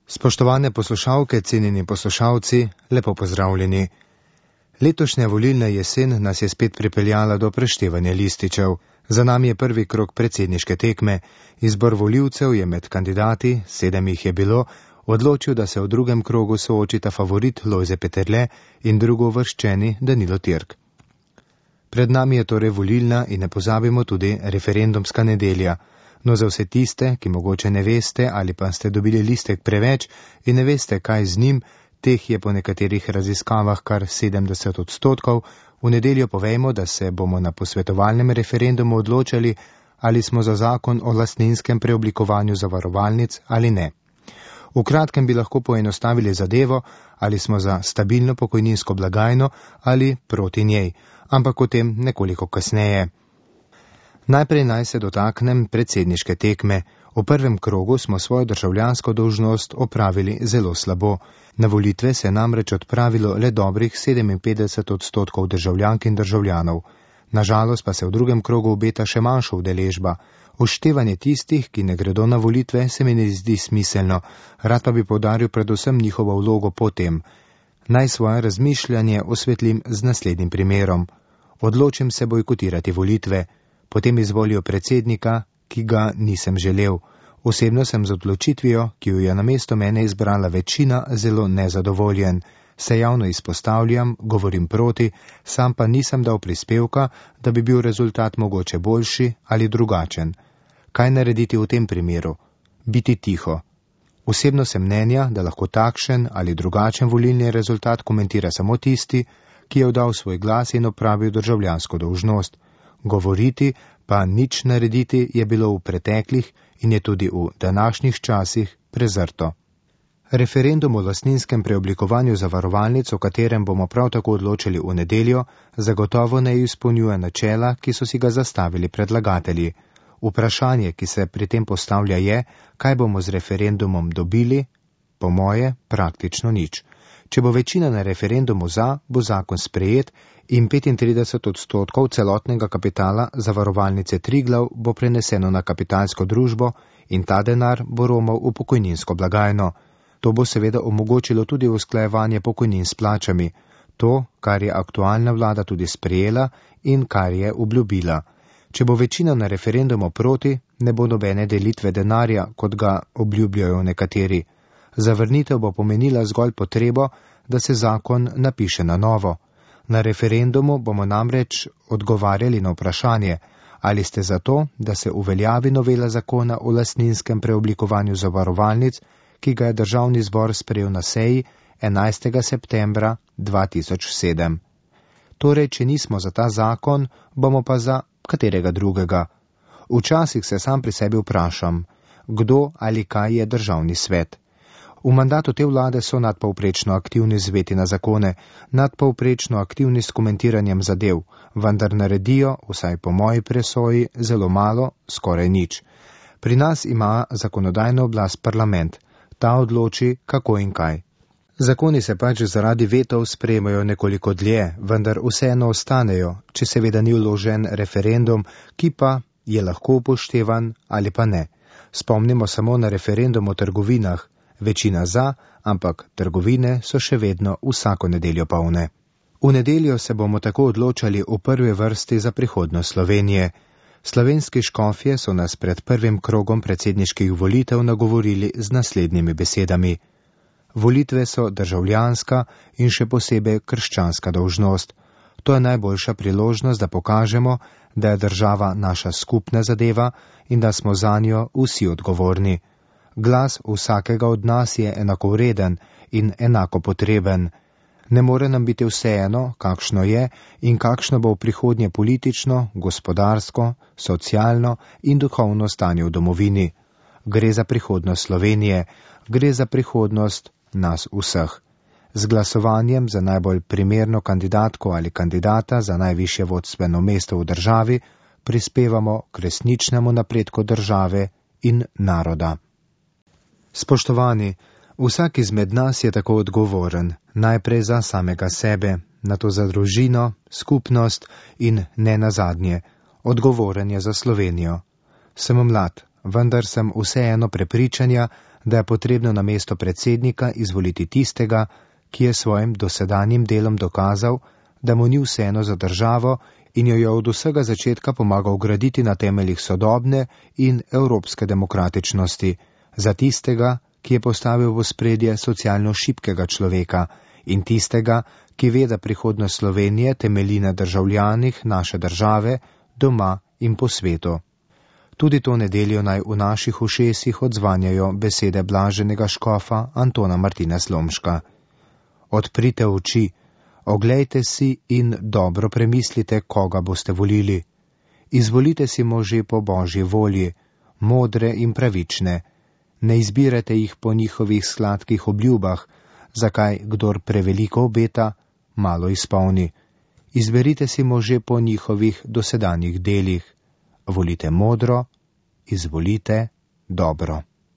Spoštovane poslušalke, cenjeni poslušalci, lepo pozdravljeni. Letošnja volilna jesen nas je spet pripeljala do preštevanja lističev. Za nami je prvi krog predsedniške tekme. Izbor volivcev je med kandidati, 7 jih je bilo, odločil, da se v drugem krogu soočita favorit Lojze Peterle in drugouvrščeni Danilo Türk. Pred nami je torej volilna in ne pozabimo tudi referendumska nedelja. No, za vse tiste, ki mogoče ne veste ali pa ste dobili listek preveč in ne veste, kaj z njim, teh je po nekaterih raziskavah kar 70%, v nedeljo povejmo, da se bomo na posvetovalnem referendumu odločali, ali smo za zakon o lastninskem preoblikovanju zavarovalnic ali ne. V kratkem bi lahko poenostavili zadevo, ali smo za stabilno pokojninsko blagajno ali proti njej, ampak o tem nekoliko kasneje. Najprej naj se dotaknem predsedniške tekme. V prvem krogu smo svojo državljansko dolžnost opravili zelo slabo. Na volitve se je namreč odpravilo le dobrih 57% državljank in državljanov. Nažalost pa se v drugem krogu obeta še manjša udeležba. Uštevanje tistih, ki ne gredo na volitve, se mi ne zdi smiselno, rad pa bi poudaril predvsem njihovo vlogo potem. Naj svoje razmišljanje osvetlim z naslednjim primerom. Odločim se bojkotirati volitve. Potem izvolijo predsednika, ki ga nisem želel. Osebno sem z odločitvijo, ki jo je namesto mene izbrala večina, zelo nezadovoljen. Se javno izpostavljam, govorim proti, sam pa nisem dal prispevka, da bi bil rezultat mogoče boljši ali drugačen. Kaj narediti v tem primeru? Biti tiho. Osebno sem mnenja, da lahko takšen ali drugačen volilni rezultat komentira samo tisti, ki je oddal svoj glas in opravil državljansko dolžnost. Govoriti pa nič narediti je bilo v preteklih in je tudi v današnjih časih prezrto. Referendum o lastninskem preoblikovanju zavarovalnic, o katerem bomo prav tako odločili v nedeljo, zagotovo ne izpolnjuje načela, ki so si ga zastavili predlagatelji. Vprašanje, ki se pri tem postavlja, je, kaj bomo z referendumom dobili, po moje praktično nič. Če bo večina na referendumu za, bo zakon sprejet in 35% celotnega kapitala zavarovalnice Triglav bo preneseno na kapitalsko družbo in ta denar bo romal v pokojninsko blagajno. To bo seveda omogočilo tudi usklajevanje pokojnin s plačami, to, kar je aktualna vlada tudi sprejela in kar je obljubila. Če bo večina na referendumu proti, ne bo nobene delitve denarja, kot ga obljubljajo nekateri. Zavrnitev bo pomenila zgolj potrebo, da se zakon napiše na novo. Na referendumu bomo namreč odgovarjali na vprašanje, ali ste za to, da se uveljavi novela zakona o lastninskem preoblikovanju zavarovalnic, ki ga je Državni zbor sprejel na seji 11. septembra 2007. Torej, če nismo za ta zakon, bomo pa za katerega drugega. Včasih se sam pri sebi vprašam, kdo ali kaj je Državni svet. V mandatu te vlade so nadpovprečno aktivni zveti na zakone, nadpovprečno aktivni s komentiranjem zadev, vendar naredijo, vsaj po moji presoji, zelo malo, skoraj nič. Pri nas ima zakonodajno oblast parlament. Ta odloči, kako in kaj. Zakoni se pač zaradi vetov sprejemajo nekoliko dlje, vendar vseeno ostanejo, če seveda ni vložen referendum, ki pa je lahko upoštevan ali pa ne. Spomnimo samo na referendum o trgovinah. Večina za, ampak trgovine so še vedno vsako nedeljo polne. V nedeljo se bomo tako odločali v prvi vrsti za prihodnost Slovenije. Slovenski škofje so nas pred prvim krogom predsedniških volitev nagovorili z naslednjimi besedami. Volitve so državljanska in še posebej krščanska dolžnost. To je najboljša priložnost, da pokažemo, da je država naša skupna zadeva in da smo zanjo vsi odgovorni. Glas vsakega od nas je enakovreden in enako potreben. Ne more nam biti vseeno, kakšno je in kakšno bo v prihodnje politično, gospodarsko, socialno in duhovno stanje v domovini. Gre za prihodnost Slovenije, gre za prihodnost nas vseh. Z glasovanjem za najbolj primerno kandidatko ali kandidata za najvišje vodstveno mesto v državi prispevamo k resničnemu napredku države in naroda. Spoštovani, vsak izmed nas je tako odgovoren, najprej za samega sebe, nato za družino, skupnost in ne nazadnje, odgovoren je za Slovenijo. Sem mlad, vendar sem vseeno prepričanja, da je potrebno na mesto predsednika izvoliti tistega, ki je svojim dosedanjim delom dokazal, da mu ni vseeno za državo in jo je od vsega začetka pomagal graditi na temeljih sodobne in evropske demokratičnosti, za tistega, ki je postavil v ospredje socialno šibkega človeka in tistega, ki ve, da prihodnost Slovenije temelji na državljanih naše države, doma in po svetu. Tudi to nedeljo naj v naših ušesih odzvanjajo besede blaženega škofa Antona Martina Slomška. Odprite oči, oglejte si in dobro premislite, koga boste volili. Izvolite si može po Božji volji, modre in pravične. Ne izbirate jih po njihovih sladkih obljubah, zakaj kdor preveliko obeta, malo izpolni. Izberite si može po njihovih dosedanjih delih. Volite modro, izvolite dobro.